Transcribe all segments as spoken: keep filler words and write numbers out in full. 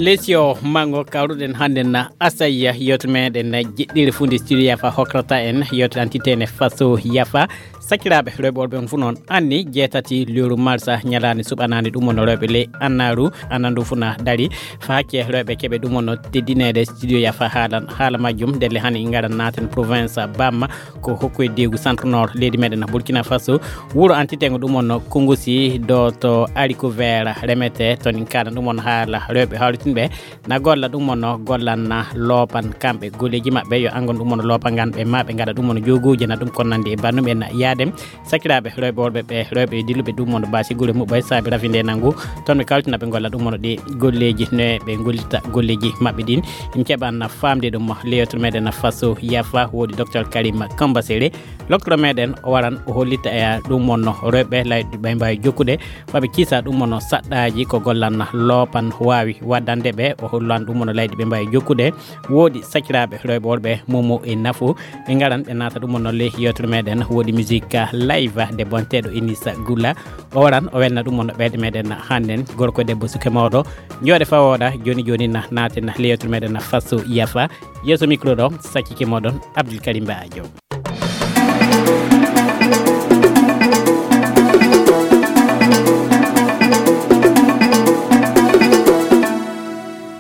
Esi o mango kawruɗen hannde na asayya yewtere meɗen jiɗɗire funde studio yafa hokrata en yewtere antitene faso yafa. Sakiraaɓe rewɓe worɓe on fuu noon anni jeetati lewru marsa ñalaande suɓanaande ɗum wonno rewɓe ley annaaru anandu fuu na dari fa hakke rewɓe keɓe ɗum wonno teddineede studio yafa haalan haala majjum ndelle hani ngaran naaten province bamma ko hokku e deegu centre nord leydi meɗen burkina faso wuro antitengo ɗum wonno kongosi do to ariko vert remete toon en kalan ɗum wonno haala rewɓe hawritinɓe na golla ɗum wonno gollanna loopan kamɓe golleeji maɓɓe yo angon ɗum wonno loopa ngan ɓe ma ɓe ngaɗa ɗum wonno joguji na ɗum kon nandi e bannum en yaadem sakiraaɓe rewɓe worɓe ɓe rewɓe e dilluɓe ɗum wonno basi gure muɓɓay saabi rafinde nanngu toon ɓe kawtina ɓe golla ɗum wonno ɗi golleeji no ɓe gollita golleeji maɓɓe ɗin en keɓanna famde ɗum leyewtere meɗen faso yafa woodi docteur karim kambasere. Loktoro meɗen o waran o hollita e ɗum wonno rewɓe layɗi ɓe mbawi jokkude maɓe kiisa ɗum wonno saɗɗaji ko gollanna loopan wawi waddande ɓe o hollan ɗum wonno layɗi ɓe mbawi jokkude woodi sakiraaɓe rewɓe worɓe momo e nafu ɓe ngaran ɓe naata ɗum wonno ley yewtere meɗen woodi musique live de bonteɗo inisa gulla o waran o welna ɗum wonno ɓeyɗe meɗen hannden gorko e debbo suke mawɗo jooɗe fawoɗa joni joni na naaten ley yewtere meɗen faso yafa yeeso micro ɗo sakkike moɗon abdoul karim badio.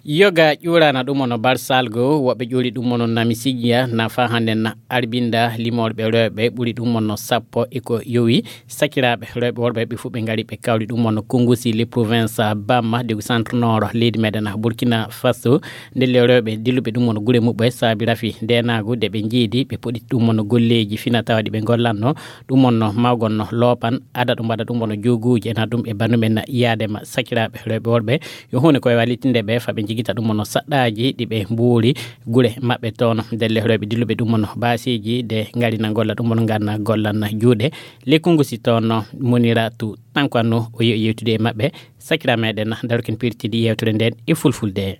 Yoga ƴuurana ɗum ono barsalgo woɓɓe ƴuuri ɗum ono nami sijiya nafa hannde na arbinda limorɓe rewɓe ɓuri ɗum ono sappo e ko yowi sakiraaɓe rewɓe worɓe ɓe fof ɓe ngari ɓe kawri ɗum ono kongusi le province bamma de centre nord leydi meɗen burkina faso ndelle rewɓe dilluɓe ɗum ono gure muɓɓe saabi rafi ndenagu de ɓe jiidi ɓe poɗi ɗum ono golleji fina tawaɗi ɓe gollanno ɗum ono mawgonno loopan ada ɗum mbaɗa ɗum ono joguji ena ɗum e bandumen yaadema sakiraaɓe rewɓe worɓe yo hunde koye wallitinde ɓe faɓe jigita ɗum ono saɗɗaji ɗi ɓe mbuuri gure maɓɓe toon ndelle rewɓe dilluɓe ɗum ono basiji de ngarina golla ɗum ono ganna gollanna juuɗe lekkungu si toon monira tu tanko anno o yehi yewtude e maɓɓe sakira meɗen darokin pirtidi yewtere nden e fulfulde.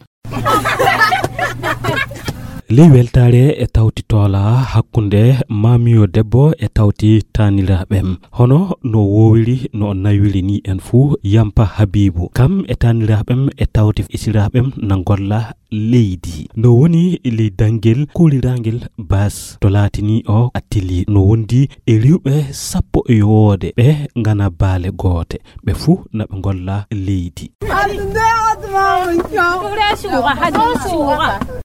Ley weltaare e tawti toola hakkunde maamiyo debbo e tawti taaniraaɓem hono no woowiri no o nawiri ni en fuu yampa habiibu kam e taaniraaɓem e tawti isiraaɓem na ngolla leydi no woni ley danngel kuuliraangel bas to laatini o attili no wondi e riwɓe sappo e yowoode ɓe ngana baale goote ɓe fuu na ɓe ngolla leydi.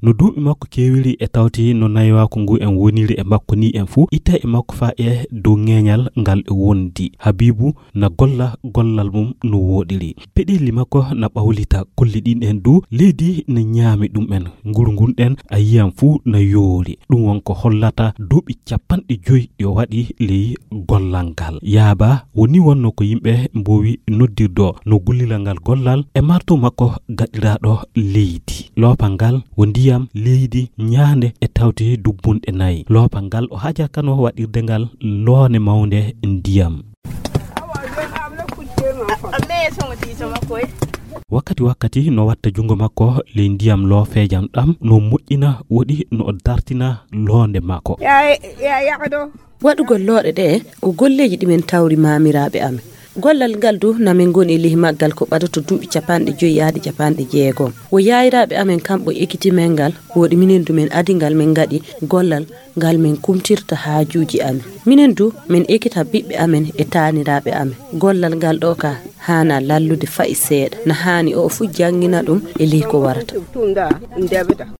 No duuɓi makko keewiri e tawti no naywaaku ngu en woniri e makko ni en fuu itta e makko faa e dow ŋeeñal ngal e wondi habiibu na golla gollal mum no wooɗiri peɗeeli makko na ɓawlita kolli ɗin en du leydi na ñaami ɗum en nguru ngun ɗen a yiyam fuu na yoori ɗum won ko hollata duuɓi capanɗe joyi yo waɗi ley gollal ngal yaaba woni wonno ko yimɓe mbowi noddirdo no gullira ngal gollal e marto makko gaɗiraɗo leydi loopal ngal wo ndiyam leydi ñaande e tawti dubbunɗe nayi loopal ngal o haajakano waɗirde ngal loone mawnde ndiyam wakkati wakkati no watta jungo makko ley ndiyam loofeejam ɗam no moƴƴina woɗi no o dartina loonde makko. Waɗugol looɗe ɗe ko golleeji ɗi min tawri maamiraaɓe amen. Gollal ngal du na min ngoni e ley maggal ko ɓadato duuɓi capanɗe joyi yahde capanɗe jeegom. Wo yaayiraaɓe amen kamɓe ekiti men ngal, woɗi minen du min adi ngal min ngaɗi gollal ngal min kumtirta haajuuji amen. Minen du min ekita ɓiɓɓe amen e taaniraaɓe amen. Gollal ngal ɗo ka haana lallude fayi seeɗa. Na haani o fuu janngina ɗum e ley ko warata.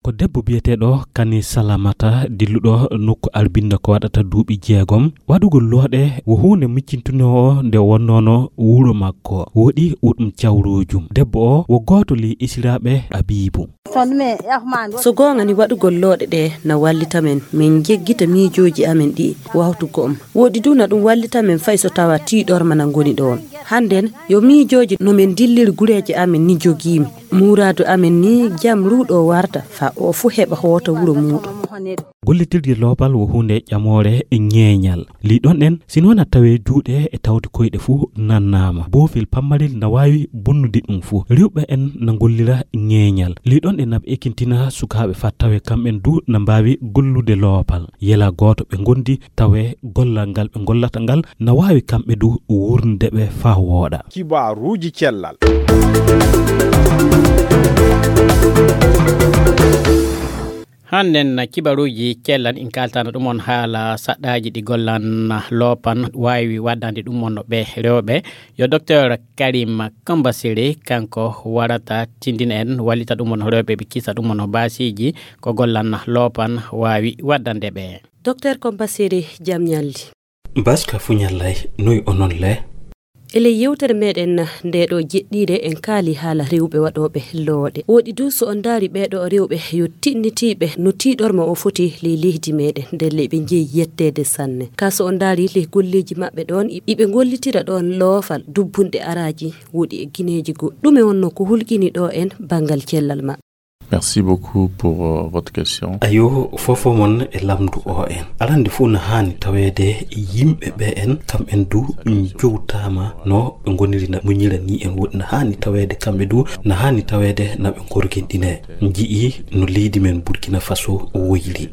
Ko debbo biyeteeɗo Kani Salamata dilluɗo nokku Arbinda ko waɗata duuɓi jeegom. Waɗugol looɗe wo huunde miccintunoo nde wonnoono wuro makko. Woɗi wo ɗum cawroojum. Debbo o wo gooto ley esiraaɓe Abiibu. So goonga ni waɗugol looɗe ɗe na wallita men min jeggita miijooji amen ɗi wawtu go'om. Woɗi du na ɗum wallita men fay so tawa tiiɗorma na ngoni ɗoon. Hannden yo miijooji no men dilliri gureeje amen ni jogiimi. Muuraadu amen ni jam ruuɗo warta fa o fu heɓa hoota wuro muuɗum. Gollitirde loopal wo huunde ƴamoore e ñeeñal. Lii ɗon en, si noon a tawee juuɗe e tawde koyɗe fuu nannaama. Boofel pammarel na waawi bonnude ɗum fuu. Rewɓe en na ngollira ñeeñal. Lii ɗon en na ɓe ekintina sukaaɓe faa tawee kamɓen du na mbaawi gollude loopal. Yela gooto ɓe ngondi tawee gollal ngal ɓe ngollata ngal na waawi kamɓe du wuurnde ɓe faa. a wooɗa. Kibaruuji cellal. Hannden kibaruuji cellal in kaaltana ɗum on haala saɗɗaaji ɗi gollan loopan waawi waddande ɗum on ɓe rewɓe. Yo Docteur Karim Kambasiri kanko warata tindina en, wallita ɗum on rewɓe ɓe kisa ɗum on baasiiji ko gollan loopan waawi waddande ɓe. Docteur Kambasiri, jam ñalli. Baska fu ñallay, noy onon le? E ley yewtere meɗen nde ɗo jeɗɗiire en kaali haala rewɓe waɗooɓe looɗe. Woɗi du so on ndaari ɓee ɗo rewɓe yo tiɗnitiiɓe no tiiɗorma o foti ley leydi meɗen. Ndelle ɓe njeyi yetteede sanne. Ka so on ndaari ley golleeji maɓɓe ɗon, iɓe ngollitira ɗon loofal dubbunɗe araaji woɗi e gineeji goo. Ɗume wonno ko hulƴini ɗo en banngal cellal maɓɓe? Merci beaucoup pour, euh, votre question. Ayo, fofo mon e lamdu o en. Arande fof no haani taweede yimɓe ɓe en, kam en du njowtaama no ɓe ngoniri na muñira ni en woɗi. No haani taweede kamɓe du, no haani taweede na ɓe ngorginɗine. Nji'i no leydi men Burkina Faso woyri.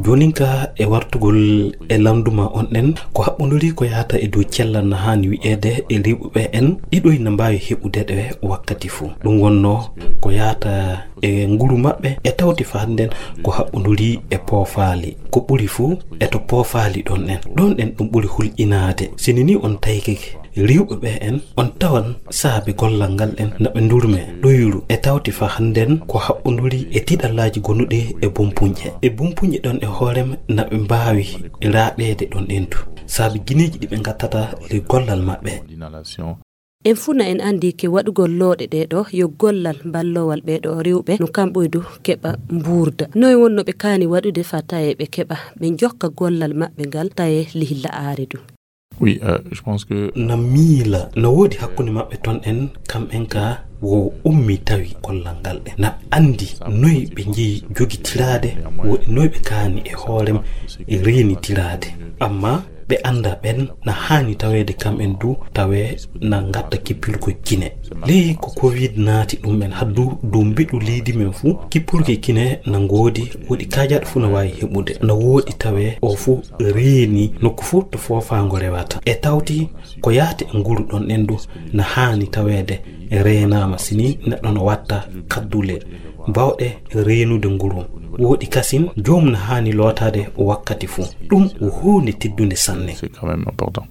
Joonin ka e wartugol e lamdu ma on ɗen, ko haɓɓondori ko yahata e dow cellal no haani wi'eede e rewɓe ɓe en, ɗiɗoy no mbaawi heɓude ɗe wakkati fof. Ɗum wonno ko yahata e nguru maɓɓe, e tawti fa hannden ko haɓɓondori e poofaali. Ko ɓuri fof e to poofaali ɗon ɗen. Ɗon ɗen ɗum ɓuri hulƴinaade. Sini ni on taykike rewɓe ɓe en, on tawan saabe gollal ngal ɗen na ɓe ndurme ɗoyru e tawti fa hannden ko haɓɓondori e tiɗallaaji gonuɗi e bumpuñƴe. E bumpuñƴe ɗon e hoorem na ɓe mbaawi raaɓeede ɗon ɗen du. Saabe gineeji ɗi ɓe ngattata le gollal maɓɓe. En fuu na en anndi ke waɗugol looɗe ɗee ɗo yo gollal ballowal ɓee ɗo rewɓe no kamɓoy du keɓa mbuurda. Noy wonno ɓe kaani waɗude fa tawee ɓe keɓa ɓe njokka gollal maɓɓe ngal tawee lihilla aare du? Oui, euh, je pense que na miila, na woodi hakkunde maɓɓe ton en, kam en ka wo ummi tawi gollal ngal ɗe. Na anndi noy ɓe njeyi jogitiraade, woodi noy ɓe kaani e hoorem e reenitiraade. Amma ɓe annda ɓen na haani taweede kam en du, tawee na ngatta kippirgol kine. Ley ko covid naati ɗum en haddu dow mbiɗu leydi men fuu, kippirgol kine na ngoodi, woodi kaajaɗo fuu na waawi heɓude. Na woodi tawee o fuu reeni nokku fuu to foofaango rewata. E tawti ko yaati e nguru ɗon en du na haani taweede reenaama sini neɗɗo no watta kaddule bawɗe reenude nguru. Woodi kasin joom na haani lootaade wakkati fuu. Ɗum ko huunde teddunde sanne. C'est quand même important.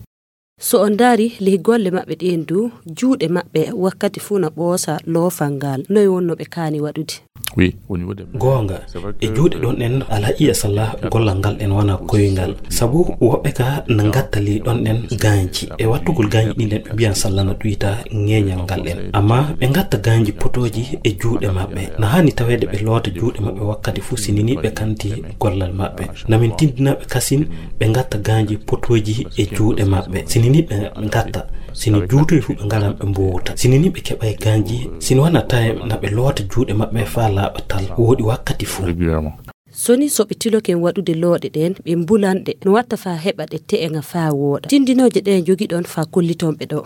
So on ndaari ley golle maɓɓe ɗeen du, juuɗe maɓɓe wakkati fuu na ɓoosa loofal ngal. Noy wonno ɓe kaani waɗude? Oui, au niveau des mains. Goonga, c'est vrai e que juuɗe ɗon ɗen, alhaqiiqa salla gollal ngal ɗen wona koyngal. Sabu woɓɓe ka na ngatta ley ɗon ɗen gaanji. E wattugol gaanji ɗin ɗen, ɓe mbiyan salla na ɗuyta ŋeeñal ngal ɗen. Amma ɓe ngatta gaanji potooji e juuɗe maɓɓe. Na haani taweede ɓe loota juuɗe maɓɓe wakkati fuu, sini ni ɓe kanti gollal maɓɓe. Na min tindina ɓe kasin ɓe ngatta gaanji potooji e juuɗe maɓɓe. Sini ni ɓe ngatta, sini juutoy fuu ɓe ngaran ɓe mboowta. Sini ni ɓe keɓay gaanji, sini wona tawe na ɓe loota juuɗe maɓɓe faa laaɓa tal. Woodi wakkati fuu. Régulièrement. So ni so ɓe tiloken waɗude looɗe ɗeen, ɓe mbulan ɗe, no watta faa heɓa ɗe te'eŋa faa wooɗa. Tindinooje ɗe njogiɗon faa kolliton ɓe ɗo?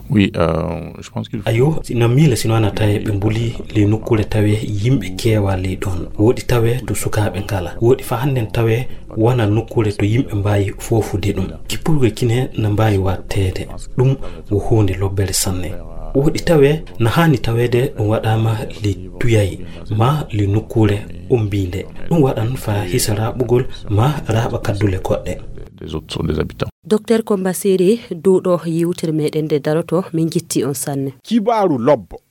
Oui, euh, je pense qu'il faut Ayo, si no miila sino wona tawe ɓe mbuli ley nokkuure tawe yimɓe keewa ley ɗon. Woodi tawe to sukaaɓe ngala. Woodi faa hannden tawe wona nokkuure to yimɓe mbaawi foofude ɗum. Kippurgol kine na mbaawi watteede. Ɗum wo huunde lobbere sanne. Woodi tawe na haani taweede ɗum waɗaama ley tuyay maa ley nokkuure ombiinde. Ɗum waɗan faa hisa raaɓugol maa raaɓa kaddule goɗɗe. Des autres sont des habitants. Docteur Komba Seri, duuɗo yewtere meɗen nde daroto, min njetti on sanne. Kibaaru lobbo.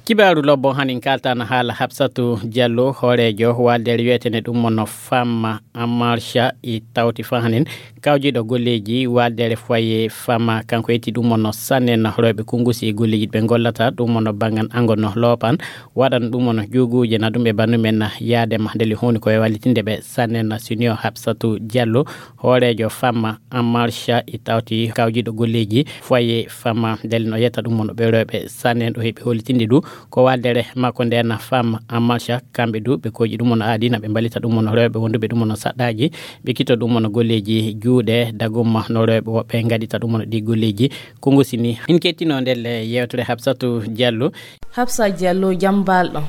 Kibaaru lobbo hanin kaltana haala Hafsatu Diallo, hooreejo waldere wiyetene ɗum mono Femme en Marche, i tawti fa hanin kawjiɗo golleeji waldere foyer Femme, kanko yetti ɗum mono sannen rewɓe kungusi e golleeji ɓe gollata ɗum mono bangan ango no loopan, waɗan ɗum mono juuguuje na ɗum e bandu men yaade ma ndeli huuni ko e wallitinde ɓe sannen senior Hafsatu Diallo, hooreejo Femme en Marche, i tawti kawjiɗo golleeji foyer Femme, ndele no yetta ɗum mono ɓe rewɓe sannen ɗo heɓi hollitinde du ko waldere makko nden Femme en Marche, kamɓe du ɓe koji ɗum mono aadi na ɓe mballita ɗum mono rewɓe wonduɓe ɗum mono saɗɗaaji, ɓe kito ɗum mono golleeji juuɗe dagumma no rewɓe woɓɓe ngaɗita ɗum mono ɗi golleeji. Kongo sini in kettino ndelle yewtere Hafsatu Diallo. Hafsa Diallo, jam balɗo?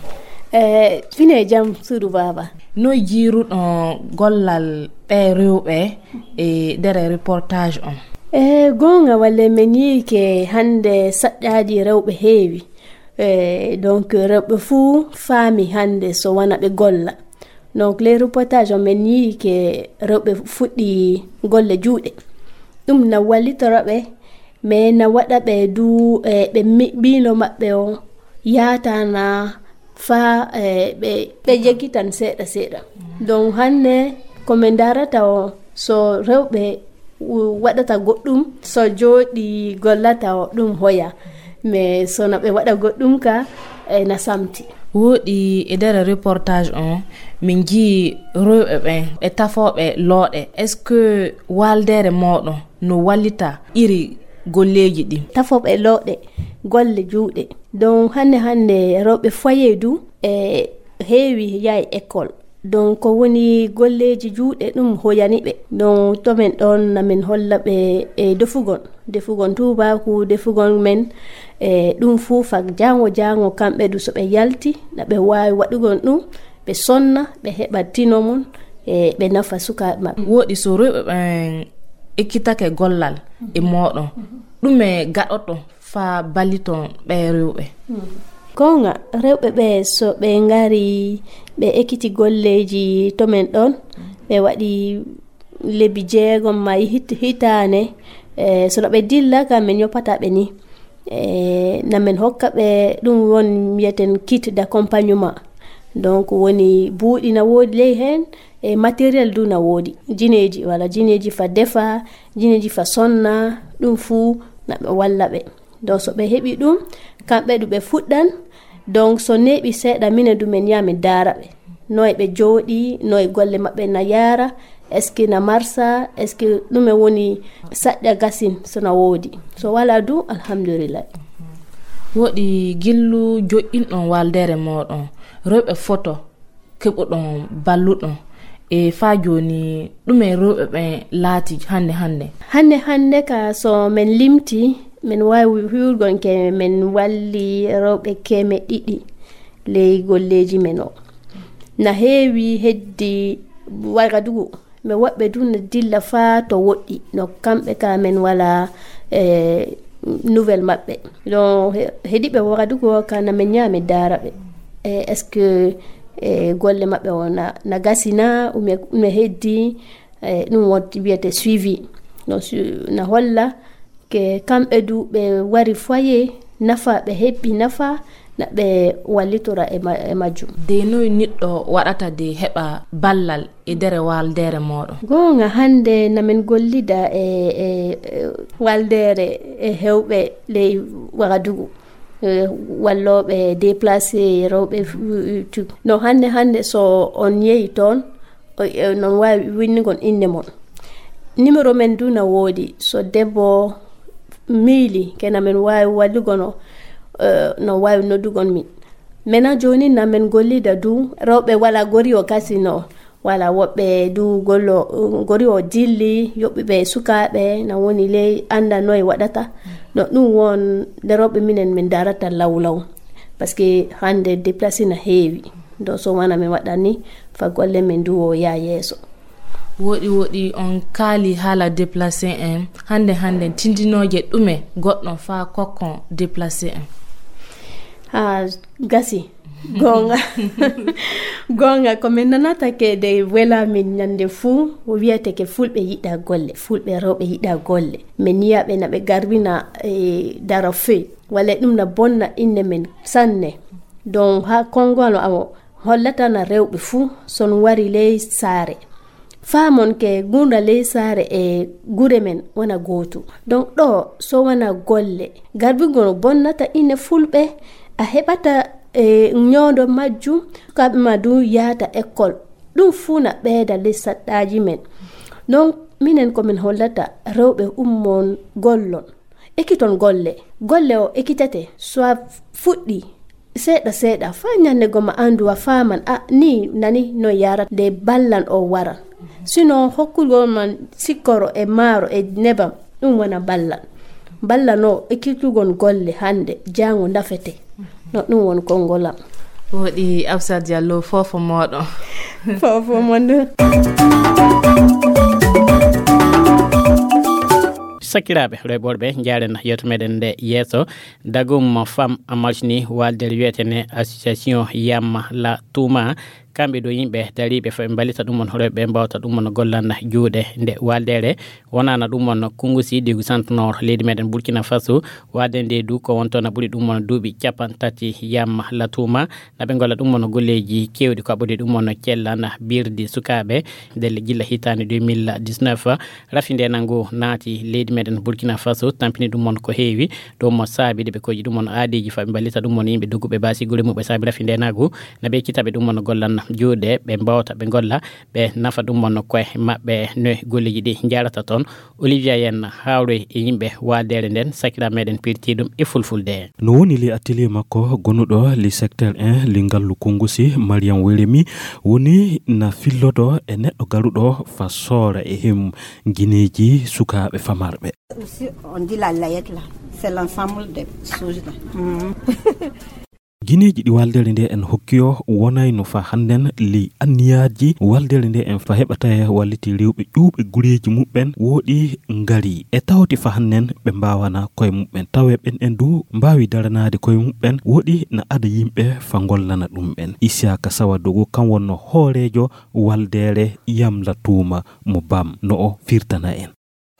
Eh, fine jam suudu baba. Noy jiiruɗon gollal ɓee rewɓe e nder reportage on? E goonga, walle men yii ke hannde saƴƴaaji rewɓe heewi. E donc rewɓe fuu faami hannde so wona ɓe golla. Donc les reportages on men yii ke rewɓe fuɗɗi golle juuɗe. Ɗum na wallitora ɓe, mais na waɗa ɓe du e ɓe mi- miilo maɓɓe o yaatana faa e ɓe ɓe jegitan seeɗa seeɗa. Donc hannde ko men ndarata o so rewɓe u- waɗata goɗɗum, so jooɗi gollata o ɗum hoya, mais so na ɓe waɗa goɗɗum ka e na samti. Wooɗi e nder reportage on min jii rewɓe ɓen e tafooɓe looɗe. Est-ce que waaldeere mooɗon no wallita iri golleeji ɗin? Tafooɓe looɗe golle juuɗe. Donc hannde hannde rewɓe foyer du e heewi yaay école. Donc ko woni golleeji juuɗe ɗum hoyani ɓe. Donc to men ɗon na men holla ɓe e defugol defugol tuubaaku defugol men e ɗum fuu fak jaango jaango kamɓe du so ɓe yalti na ɓe waawi waɗugol ɗum, ɓe sonna, ɓe heɓa tino mum e ɓe nafa sukaaɓe maɓɓe. Wooɗi so rewɓe ɓen ekkitake gollal e mooɗon, ɗume gaɗoto faa balliton ɓee rewɓe? Goonga, rewɓe ɓe so ɓe ngari ɓe ekkiti golleeji to men ɗon, ɓe waɗi lebbi jeegom ma hit- hitaane, e so no ɓe dilla ka men ñoppata ɓe ni. E na men hokka ɓe ɗum won mbiyeten kit d'accompagnement. Donc woni buuɗi na woodi ley heen e matériel du na woodi. Jineeji, wala jineeji fa defa, jineeji fa sonna, ɗum fuu na ɓe walla ɓe. Donc so ɓe heɓi ɗum, kamɓe du ɓe fuɗɗan. Donc so neeɓi seeɗa minen du men yaa men daara ɓe. Noy ɓe jooɗi, noy golle maɓɓe na yaara, est-ce que na marsa, est-ce que ɗume woni saƴƴa gasin so na woodi. So wala du, alhamdulillah. Wooɗi gillu joƴƴinɗon waaldeere mooɗon, rewɓe foto keɓuɗon balluɗon. E faa jooni, ɗume rewɓe ɓen laati hannde hannde? Hannde hannde ka so men limti, men waawi wi'ugol ke men walli rewɓe keme ɗiɗi ley golleeji men o. Na heewi heddi Wagadugu, mais woɓɓe du na dilla faa to woɗɗi. No kamɓe ka men wala e nouvelle maɓɓe. No he- heɗiɓe Wagadugu o ka na men ñaame daara ɓe. E est-ce que e golle maɓɓe o na, na gasi na ume, ume heddi? E ɗum wonti wiyete suivi. No su- na holla ke kamɓe du ɓe wari foyer nafa, ɓe heɓi nafa, na ɓe wallitora e ma- e majjum. De noy niɗɗo waɗata de heɓa ballal e nder waaldeere mooɗon? Goonga, hannde na men gollida e e e waaldeere e hewɓe ley Wagadugu. E wallooɓe déplacé rewɓe fu- tu- no hannde hannde so on yehi toon, o- e non waawi winnugol innde mon. Numéro men du na woodi, so debbo miili ke na men waawi wallugol no, e, no waawi noddugol min. Mena jooni na men gollida du rewɓe wala gori o kasi no, wala woɓɓe du gollo gori o dilli yoɓɓuɓe sukaaɓe na woni ley annda noye waɗata. No ɗum won nde rewɓe minen min darata lawlaw, parce que hannde déplacé na heewi. Do so wona min waɗani fa golle men du o yaa yeeso. Woɗi woɗi on kaali haala déplacé en. Hannde hannde tindinooje ɗume goɗɗo faa kokkon déplacé en? Ha gasi. Goonga. Goonga, ko min nanata ke de wela min ñande fuu, wiyete ke fulɓe yiɗa golle, fulɓe rewɓe yiɗa golle. Min yiya ɓe na ɓe garbina e dara fey. Walla ɗum na bonna innde men sanne. Donc, ha konngol o hollata na rewɓe fuu, son wari ley saare. Faamon ke gurnda ley saare e gure men wona gootu. Donc, ɗo so wona golle, garbugol bonnata ine fulɓe, a heɓata e ñoondo majjum, sukaaɓe ma du yaata école. Ɗum fuu na ɓeyda ley saɗɗaaji men. Donc, minen ko min hollata rewɓe ummon gollon. Ekkiton golle. Golle o ekkitete, so a fuɗɗi seeɗa seeɗa, faa ñande goma anndu a faaman, a ni nani no yarata nde ballan o waran. Sinon, hokkugol man sikkoro e maaro e nebam, ɗum wona ballan. Ballan o ekkitugol golle hannde, jaango ndafete. No ɗum won konngol am. Woɗi Absa Diallo, foofo mooɗon. Fofo mon. Sakiraaɓe rewɓe worɓe, njaaren yeewtere meɗen nde yeeso. Dagum Femme en Marche ni, waldere wiyetene Association Yam La Tuma, kamɓe ɗo yimɓe dariiɓe faa ɓe mballita ɗum on rewɓe, mbawta ɗum on gollan juuɗe nde waldere. Wonana ɗum on Kungusi Digu Centre Nord leydi meɗen Burkina Faso, wade nde du ko wonto na ɓuri ɗum on duuɓi capan tati Yam La Tuma, na ɓe ngolla ɗum on golleeji keewɗi ko aɓɓude ɗum on cellana birdi sukaaɓe ndelle gilla hitaande deux mille dix-neuf. Rafi nde nango naati leydi meɗen Burkina Faso, tampini ɗum on ko heewi. Ɗum mo saabi de ɓe koji ɗum on aadeeji faa ɓe mballita ɗum on yimɓe dogguɓe baasi gure muɓɓe saabi rafi nde nago na ɓe kitaɓe ɗum on gollan juuɗe, ɓe mbawta ɓe ngolla, ɓe nafa ɗum on koye maɓɓe no golleeji ɗi njarata toon. Olivia Yen hawre e yimɓe waadere nden, sakira meɗen pirti ɗum e fulfulde. No woni li atelier makko gonuɗo li secteur un, li ngallu Kungusi, Mariam Weremi, woni na fillodo e neɗɗo garuɗo fa soora e him gineeji sukaaɓe famarɓe. Aussi, on dit la layette là. C'est l'ensemble des choses là. Mhm. Gineeji ɗi waldere nde en hokki o wonayno fa hannden li anniyaaji waldere nde en fa heɓa tawe walliti rewɓe ƴuuɓe gureeji muɓɓen woɗi ngari. E tawti fa hannden ɓe mbaawana koye muɓɓen. Tawe ɓen en du mbaawi daranaade koye muɓɓen woɗi na ada yimɓe fa ngollana ɗumɓen. Isiyaka Sawadogo kam wonno hooreejo waldere Yamla Tuuma mo Bam no o firtana en.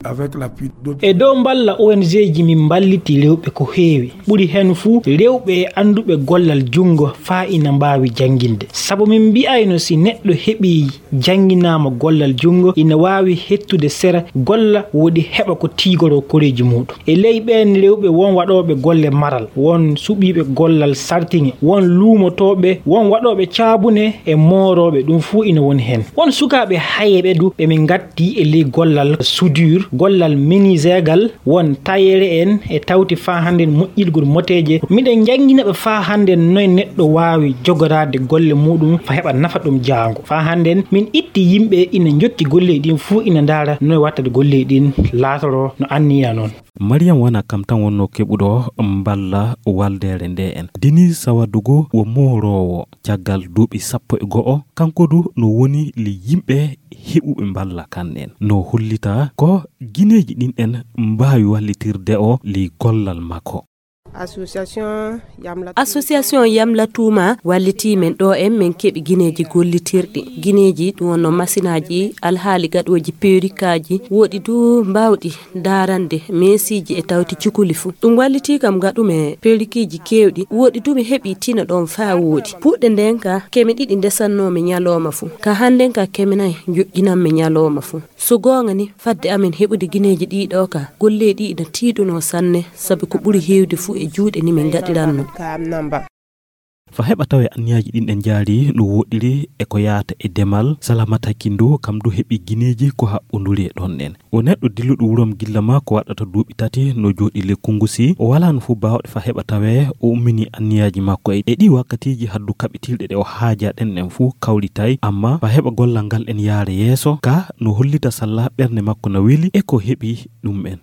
Avec l'appui d'autres. E dow mballa O N G ji min mballiti rewɓe ko heewi. Ɓuri heen fuu rewɓe e annduɓe gollal junngo faa ina mbaawi jannginde. Sabu min mbi'ayno si neɗɗo heɓii jannginaama gollal junngo, ina waawi hettude sera golla woɗi heɓa ko tiigoroo koreeji muuɗum. E ley ɓeen rewɓe won waɗooɓe golle maral, won suɓiiɓe gollal sartiŋe, won luumotooɓe, won waɗooɓe caabune e moorooɓe, ɗum fuu ina woni heen. Won sukaaɓe hayeeɓe du ɓe min ngatti e ley gollal soudure, gollal menuiseegal, won tayeere en e tawti faa hannden moƴƴirgol moteeje. Miɗen njanngina ɓe faa hannden noy neɗɗo waawi jogoraade golle muuɗum faa heɓa nafa ɗum jaango. Faa hannden min itti yimɓe ina njokki golleeji ɗin fuu ina ndaara noy wattade golleeji ɗin laatoroo no anniya noon. Mariam wona kam tan wonno keɓuɗo mballa waldere nde en. Dini Sawadugu wo mooroowo caggal duuɓi sappo e go'o, kanko du no woni li yimɓe heɓuɓe mballa kan en. No hollita ko gineeji ɗin en mbaawi wallitirde o li gollal makko. Association Yamla Association Yamla Tuuma wallitii men ɗo en, men keɓi gineeji gollitirɗi. Gineeji ɗum wonno masinaaji, alhaali gaɗooji perikaaji, woɗi du mbaawɗi daarande meesiiji e tawti cukuli fuu. Ɗum wallitii kam ngaɗumi perikiji keewɗi, woɗi du mi heɓi tina ɗon faa woɗi. Puɗɗe nden ka keme ɗiɗi ndesannoomi ñalooma fuu. Ka hannden ka keme nay njoƴƴinanmi ñalooma fuu. So goonga ni, fadde amen heɓude gineeji ɗii ɗoo ka, golleeji ɗii ina tiiɗunoo sanne, sabi ko ɓuri heewde fuu e juuɗe ni min ngaɗiranno. Fa heɓa tawe anniyaaji ɗin ɗen jaari no woɗɗiri e ko yaata e demal, Salamata Kindu kam du heɓi gineeji ko haɓɓunduri e ɗon ɗen. O neɗɗo dilluɗo wurom gilla ma ko waɗata duuɓi tati no jooɗi le Kungusi. O walaano fuu baawɗe fa heɓa tawe o ummini anniyaaji makko e, e ɗi wakkatiiji haddu kaɓitirɗe ɗe o haaja ɗen ɗen fuu kawritay, amma fa heɓa gollal ngal en yaara yeeso, ka no hollita salla ɓernde makko na weli e ko heɓi ɗum en.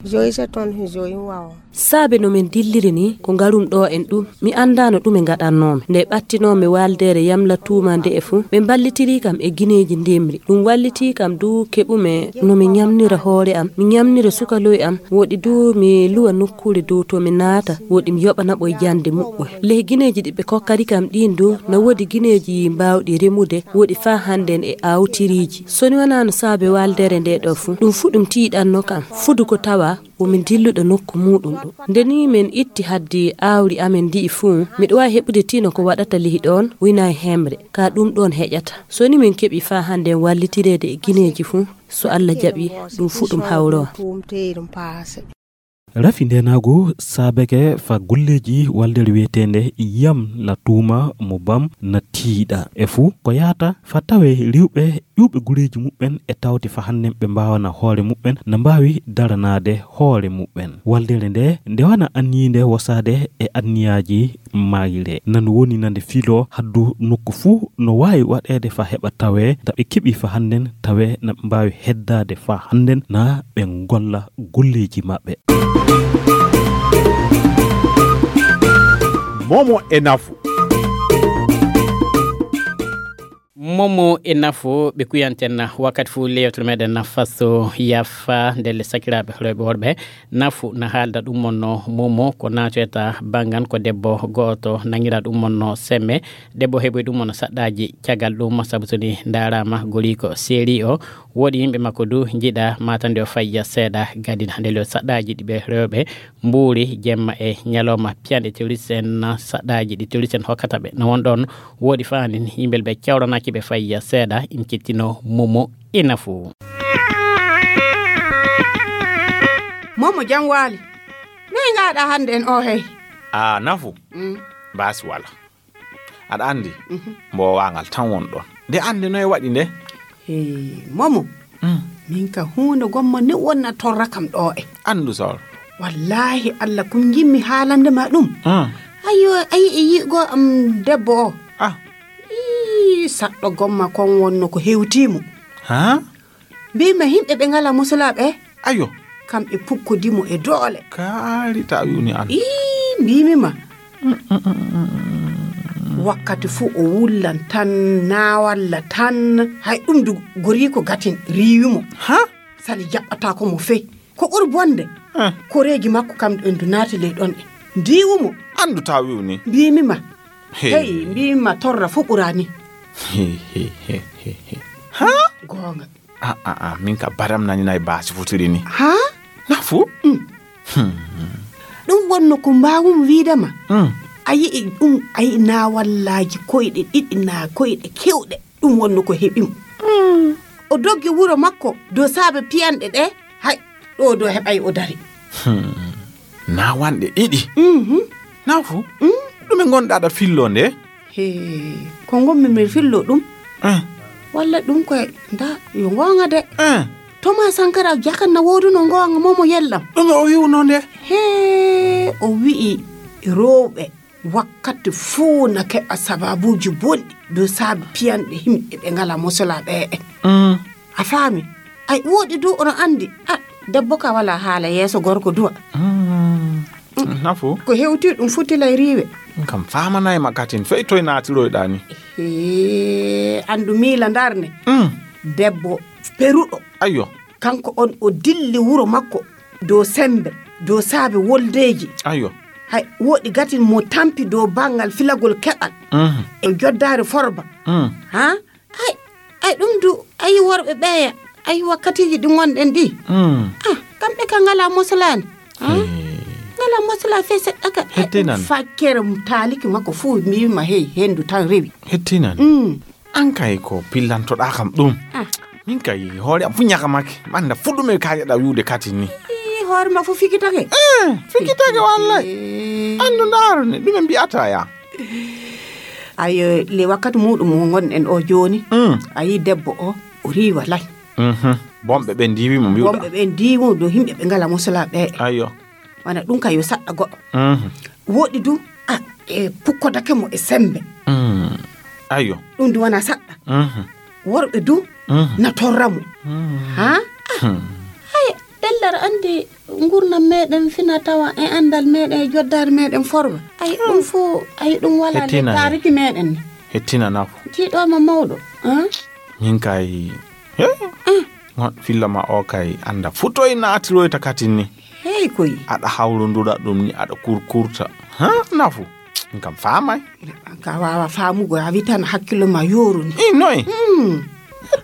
Joyi se ton, joyi wawa. Saabe no min dilliri ni, ko ngarum ɗo en ɗum, mi anndaano ɗume ngaɗannoomi. Nde ɓattinoomi waaldeere Yamla Tuuma nde e fuu, ɓe mballitirii kam e gineeji ndimri. Ɗum wallitii kam du keɓumi no mi ñamnira hoore am, mi ñamnira sukaloy am, woɗi du mi luwa nokkuure dow to mi naata, woɗi mi yoɓa naɓoy jannde muɓɓoy. Ley gineeji ɗi ɓe kokkari kam ɗiin du, na woodi gineeji mbaawɗi remude, woɗi faa hannden e aawtiriiji. So ni wanaano saabe waaldeere nde ɗo fuu, ɗum fuu ɗum tiiɗanno kam. Fudu ko tawa wo min dilluɗo nokku muuɗum ɗo. Nde ni min itti haddi aawri amen ndi'i fuu, miɗo waawi heɓude tino ko waɗata lihi ɗoon, wina e hemre, ka ɗum ɗoon heƴata. So ni min keɓi faa hannden wallitireede e gineeji fuu, so Allah jaɓi, ɗum fuu ɗum hawrowa. Rafi ndenaagu saabeke fa golleeji waldere wiyeteende Yam La Tuuma mo Bam na tiiɗa. E fuu ko yaata fa tawe rewɓe ƴuuɓe gureeji muɓɓen e tawti fa hannden ɓe mbaawana hoore muɓɓen, na mbaawi daranaade hoore muɓɓen. Waldere nde, nde wana anniyiinde wosaade e anniyaaji mayre. Nan woni nande filo haddu nokku fuu no waawi waɗeede fa heɓa tawe, da ɓe keɓi fa hannden tawe na ɓe mbaawi heddaade fa hannden na ɓe ngolla golleeji maɓɓe. Momo e nafu. Momo e Nafu ɓe kuyanten wakkati fuu le yewtere meɗen Nafa so yafa ndelle sakiraaɓe rewɓe worɓe. Nafu na haalda ɗum mon no Momo ko naatoyta banngan ko debbo gooto nangira ɗum mon no Semme. Debbo heɓoy ɗum mon no saɗɗaaji caggal ɗum sabu so ni ndaaraama goriiko seeri o. Woodi yimɓe makko du njiɗa matande o fayya seeɗa gadin hande le saɗɗaaji ɗi ɓe rewɓe mbuuri jemma e ñalawma piyanɗe terroriste en saɗɗaaji ɗi terroriste en hokkata ɓe. No won ɗon woodi faanin yimɓe ɓe cawranaki ɓe fayya seeɗa in kettino Momo e Nafu. Momo jam waali. Noy ngaɗa hande en o hey? A Nafu. Mm. Baasi wala. Aɗa anndi, mhm, mbo waagal tan won ɗon. Nde anndi noy waɗi nde? Hey, Momo. Mm. Min ka huunde gomma ni wonna torra kam ɗo e. Anndu sawro. Wallaahi Allah kun jimmi haalande ma ɗum. Mm. Ayo, ayi e yi'go am debbo o. Ah. Ii, saɗɗo gomma kon wonno ko hewtii mo. Ha? Mbiimi ma yimɓe ɓe ngalaa musulaaɓe. Ayo. Kamɓe pukkodi mo e doole. Kaari ta wiwni an. Ii, mbiimi ma. Mm, mm, mm, mm, mm. Wakkati fuu o wullan tan, naawalla tan. Hay ɗum du goriiko gatin riiwi mo. Ha? Sali jaɓɓataako mo fey. Ko ɓuri bonde. Eh. Koreeji makko kam ɗon du naati ley ɗon e. Ndiiwu mo. Anndu ta wiwni. Mbiimi ma. Hey. Hey, mbiimi ma torra fuu ɓuraani. He, he, he, he, he. Ha? Goonga. A, a, a, min ka badam nani nay baasi futiri ni. Ha? Nafu? Mm. Hmm. Ɗum wonno ko mbaawum wiide ma. Mm. A yi'i ɗum, a yi'i naawallaaji koyɗe ɗiɗi naa koyɗe kewɗe. Ɗum wonno ko heɓi mo. Mm. O doggi wuro makko dow saabe piyanɗe ɗe. Hay, ɗo, ɗo heɓay o dari. Hmm. Naawanɗe ɗiɗi? Mhm. Nafu? Mm. Ɗume ngonɗa aɗa fillo nde? He, ko ngonmi mi fillo ɗum. Eh. Walla ɗum koye, nda, yo ngoonga de. Eh. Thomas Sankara jakan na wooduno ngoonga momo yellam. Ɗume o wi'uno nde? He, o wi'i rewɓe wakkati fuu na keɓa sababuuji bonɗi dow saabi piyanɗe himɓe ɓe ngalaa mosolaa ɓe en. Mm. A faami? Ay, woɗi du ono anndi. Ah, debbo ka wala haala yeeso gorko duwa. Mm. Mm. Nafu? Ko hewti ɗum futilay riiwe. Ɗum kam famanay ma katin fey toy naatiroyɗa ni. Hee, anndu miila ndarne. Mm. Debbo peruɗo. Ayyo. Kanko on o dilli wuro makko dow sembe, dow saabe woldeeji. Ayyo. Hay, woɗi gatin mo tampi dow banngal filagol keɓal. Mhm. E joddaare forba. Mm. Ha? Ay, ay, ɗum du, ayi worɓe ɓeya, ayi wakkatiiji ɗi ngonɗen ɗi. Mm. Ah, kamɓe ka ngalaa moslaani. Ah, hee. Ngalaa moslaa fey seɗɗa ka. Hettinan. Fakkere taaliki makko fuu, mbiimi ma, hey, henndu tan rewi. Hettinan. Mm. An kay ko pillantoɗaa kam ɗum. Ah. Min kay hoore am fu ñakamake. Manda fu ɗume ka yeɗa wi'ude kati ni. Ii, hoore ma fu fikitake. Eh, fikitake wallay. Eh. Andu ndaaro ni, ɗume mbi'ata ya? Ayo, le wakkati muɗum mo ngonɗen o jooni. Mm. A yi debbo o, o riiwa lay. Mhm. Bonɓe ɓe ndiiwi mo mbi'uɗa. Bonɓe ɓe ndiiwi mo dow himɓe ɓe ngalaa mosolaa ɓe. Ayo. Wana ɗum ka yo saɗɗa goɗɗo. Mhm. Woɗi du, a, e pukkodake mo e sembe. Mm. Ayo. Ɗum du wana saɗɗa. Mhm. Worɓe du, mhm, na torra mo. Mm. Ha? Hmm. Ay, ɗellar anndi ngurnam meɗen fina tawa e anndal meɗen e joddaare meɗen forba. Ay, ɗum fo, ay, ɗum wala le taariki meɗen. Hettina Nafu. Tiiɗo ma mawɗo. Ha? Min kay, he? Ah. Ngon filla ma o kay annda futoy naatiroyta katin ni. Hey koy. Aɗa hawrondura ɗum ni, aɗa kurkurta. Ha, Nafu? Min kam faamay. Ka waawa faamugo, a witan hakkilo ma yooruni. I noy? Hmm.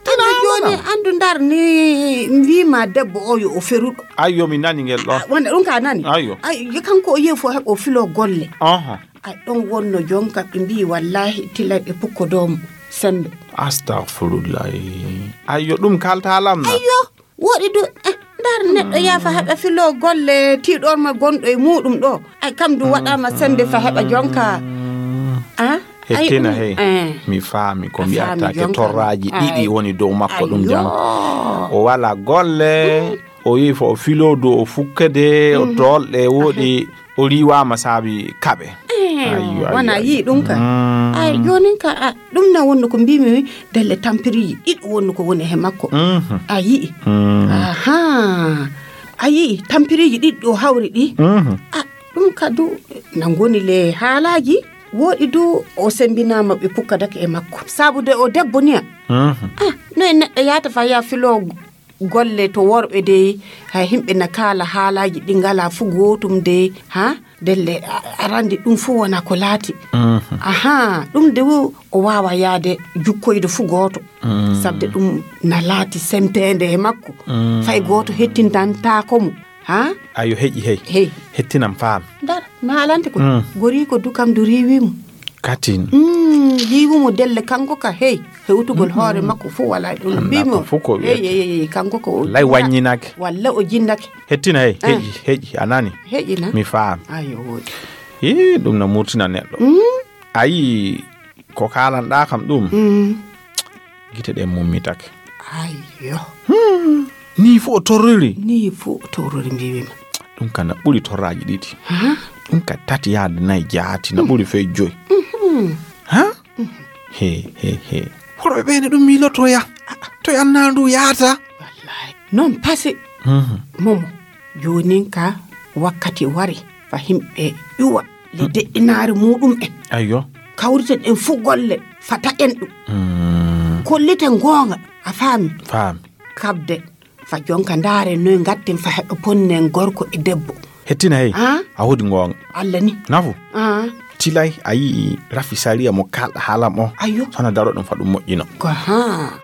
Tina jooni wona. Anndu ndar ni mbiima debbo o yo o feruɗo. Ayyo, mi nani ngel ɗon. Ah, wonde ɗum ka nani? Ayyo. Ay, kanko o yehi fo heɓo filo golle. Aha. Ay, ɗon wonno jonka ɓe mbi'i, "Wallaahi, tilay ɓe pukkodoo mo sembe." Astagfirullahi. Ayyo, ɗum kalta lamna. Ayyo, woɗi du, eh, ndar neɗɗo yaha fa heɓa filo golle tiiɗor ma gonɗo e muɗum ɗo. Ay, kam du waɗama sembe fa heɓa jonka. Ah, ay, hettina ɗum, hey. Eh. Mi faami ko a faami mbi'ata ke jonka. Torraji ɗiɗi woni dow makko ɗum jam. Ayyo. O wala golle, o yi fo o filo du o fukkede, o tolɗe woɗi. O riiwaama saabi kaɓe. Eh, ayyo, ayyo, wona ayyo. Yii ɗum ka. Mm. Ay, joonin ka, a, ɗum na wonno ko mbiimi mi, delle tampiriiji ɗiɗo wonno ko woni he makko. Mhm. A yi'i. Mm. Aha. A yi'i, tampiriiji ɗiɗi ɗo hawri ɗi. Mhm. A, ɗum ka du, na ngoni le haalaaji. Wooɗi du o sembinaama ɓe pukkadake e makko. Sabu de o debbo niya. Mhm. Ah, no e neɗɗo yaata fa ya filo golle to worɓe de, hay himɓe na kaala haalaaji ɗi ngala fu gootum de, ha? Delle, a-, arande ɗum fu wona ko laati. Mhm. Aha, ɗum de wo o waawa yaade jukkoyde fu gooto. Mm. Sabde ɗum na laati semteende e makko. Mm. Fay gooto hettintantaako mo. Ha? Ayo, heƴi, hey. Hey. Hettinam faam. Dar, mi haalante ko. Mm. Gori ko dukam du riiwi mo. Katin. Mm, riiwi mo delle kanko ka, hey. Hewtugol hoore makko fu wala ɗum. Annda mbimo. Ko fu ko hey, wiyete. Hey, hey, hey, kanko ko o lay jinnake. Wanyinake. Walla o jinnake. Hettina, hey, ah, heƴi, heƴi, a nani? Heƴi na? Mi faam. Ayo, wooɗi. Ii, ɗum na murtina neɗɗo. Mm. Ayi, ko kaalanɗaa kam ɗum. Mm. Gite ɗen mummitake. Ayyo. Hmm. Nii fu o torriri. Nii fu o torriri, mbiimi ma. Ɗum ka na ɓuri torraaji ɗiɗi. Ha? Ɗum ka tati yaade nayi jaati, na ɓuri fey joyi. Mhm. Ha? Mhm. He, he, he. Worɓe ɓe ne ɗum miilotoya. To yannaa ndu yaata. Wallahi. Non pase. Mhm. Momo. Joonin ka wakkati wari fa himɓe ƴuwa le deƴƴinaare muɗum en. Ayyo. Kawriten en fu golle fa taƴen ɗum. Mm. Kolliten goonga, a faami? Faami. Kabde fa jonka ndaare noy ngatten fa heɓe ponnen gorko e debbo. Hettina hey. Ah? A wodi goonga. Allah ni. Nafu. Ah. Tilay a yi'i rafi sariya mo kalɗa haalam o. Ayyo. Sona daro ɗum fa ɗum moƴƴino. Ko ha.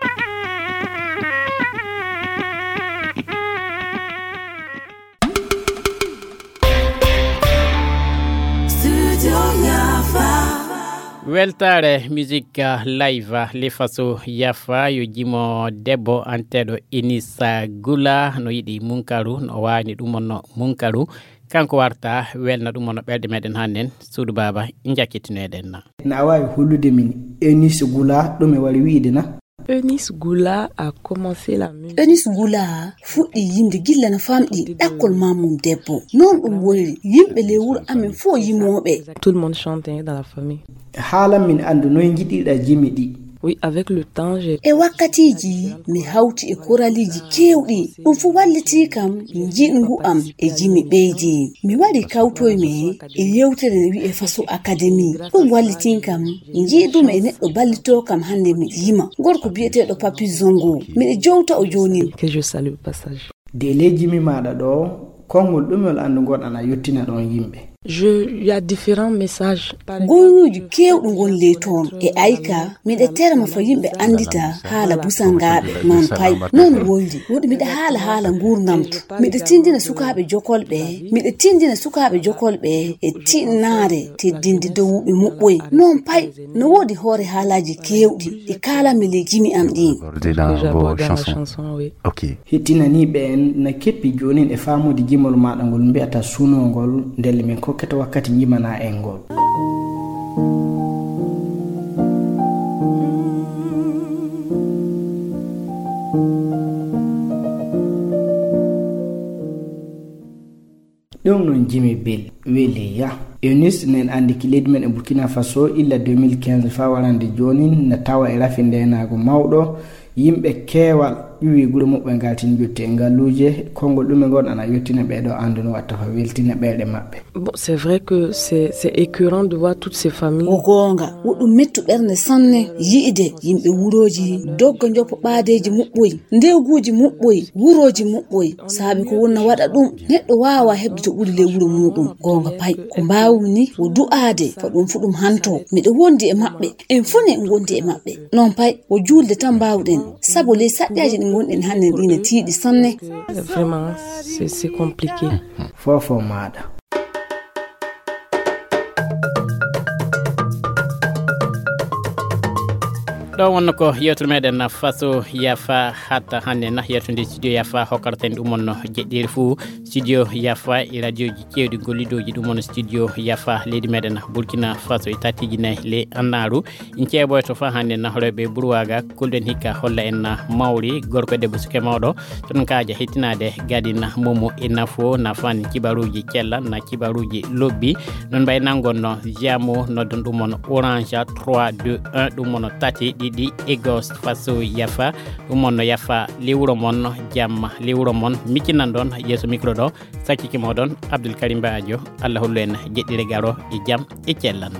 Weltaare musique live, ah, le faso yafa yo jimo debbo anteɗo Enis Gula no yiɗi munkaru, no wani ɗum on no munkaru. Kanko warta welna ɗum on no ɓerɗe meɗen hannen. Suudu baaba, jakkitinoɗen na. Na a waawi hollude min Enis Gula ɗum e wari wiide na? Eunice Goula a commencé la musique. Eunice Goula fuɗɗi yimde gilla no famɗi ɗakkol mammum debbo. Noon ɗum woniri, yimɓe ley wuro amen fof yimooɓe. Tout le monde chante, hein, dans la famille. Haalan min anndu noy njiɗirɗa jimi ɗi. Oui, avec le temps, j'ai... E wakkatiiji, mi hawti e koraliiji keewɗi. Ɗum fof wallitii kam njiɗngu am e jimi ɓeydi. Mi waɗi kawtoymi e yewtere ne wi'e Faso Academy. Ɗum wallitii kam. Njiidumi e neɗɗo ballitoo kam hannde miɗo yima. Gorko biyeteeɗo Papi Zongo. Miɗo jowta o jooni. Que je salue au passage. De ley jimi maaɗa ɗo, konngol ɗumol anndu ngoɗan a yottina ɗon yimɓe? Je, il y a différents messages. Goyruuji keewɗi ngon ley toon. E ayka, miɗo terma fo yimɓe anndita haala busangaaɓe, noon pay, noon woyri. Woɗi miɗo haala haala nguurndam to. Miɗo tinndina sukaaɓe jokolɓe, miɗo tinndina sukaaɓe jokolɓe e tiɗnaare teddinde dowuɓe muɓɓoy. Noon pay, no woodi hoore haalaaji keewɗi ɗi kaalanmi ley jimi am ɗin. Dans vos chansons. Ok. Hettinaniiɓe en na keppi joonin e faamude jimol maaɗa ngol mbiyata sunoo ngol, ndelle min kokkete wakkati njimanaa en ngol. Ɗum noon jimi bel weli ya. Eunice nen anndi ki leydi men e Burkina Faso illa deux mille quinze faa warande joonin na tawa e rafi ndeenaagu mawɗo. Yimɓe keewal ƴuwi gure muɓɓe ngaltin jotti e ngalluuje. Konngol ɗume ngon ana yottina ɓee ɗoo anndu no watta fa weltina ɓerɗe maɓɓe. Bon, c'est vrai que c'est, c'est écœurant de voir toutes ces familles. Ko goonga, woɗɗum mettu ɓernde sanne yi'de yimɓe wurooji dogga njoppa ɓaadeeji muɓɓoy, ndewguuji muɓɓoy, wurooji muɓɓoy, saabi ko wonna waɗa ɗum, neɗɗo waawa heɓde to ɓuri ley wuro muuɗum. Goonga pay, ko mbaawmi ni wo du'aade, ko ɗum fu ɗum hanto. Miɗo wondi e maɓɓe, en fof ne en ngondi e maɓɓe. Noon pay, wo juulde tan mbaawɗen, sabu ley saƴƴaaji ɗi ngonɗen hannde ɗi ne tiiɗi sanne. Vraiment, c'est, c'est compliqué. Fofo maaɗa. Ɗo wonno ko yewtere meɗen Faso Yafa hatta hannde na yewtude studio Yafa hokkata en ɗum on jeɗɗiri fuu studio Yafa e radioji cewɗi gollidooji ɗum on studio Yafa leydi meɗen Burkina Faso e tatiji nayi le annaaru. In ceeboyto fa hannde na horeɓe Burwaga kulɗen hikka holla en na mawri gorko debbo suke mawɗo. Toon kaaja hettinaade gadin momo e nafo na fani kibaruuji cella na kibaruuji lobbi. Noon mbay nangon no jamo noddon ɗum on orange trois deux un ɗum on tati ɗiɗi egos Faso Yafa. Ɗum on no yafa lewuro mon jamma lewuro mon miccinan ɗon yeeso micro ɗo. Sakkiki moɗon Abdoul Karim Ba Adio. Allah hollu en jeɗɗire garo e jam e cellan.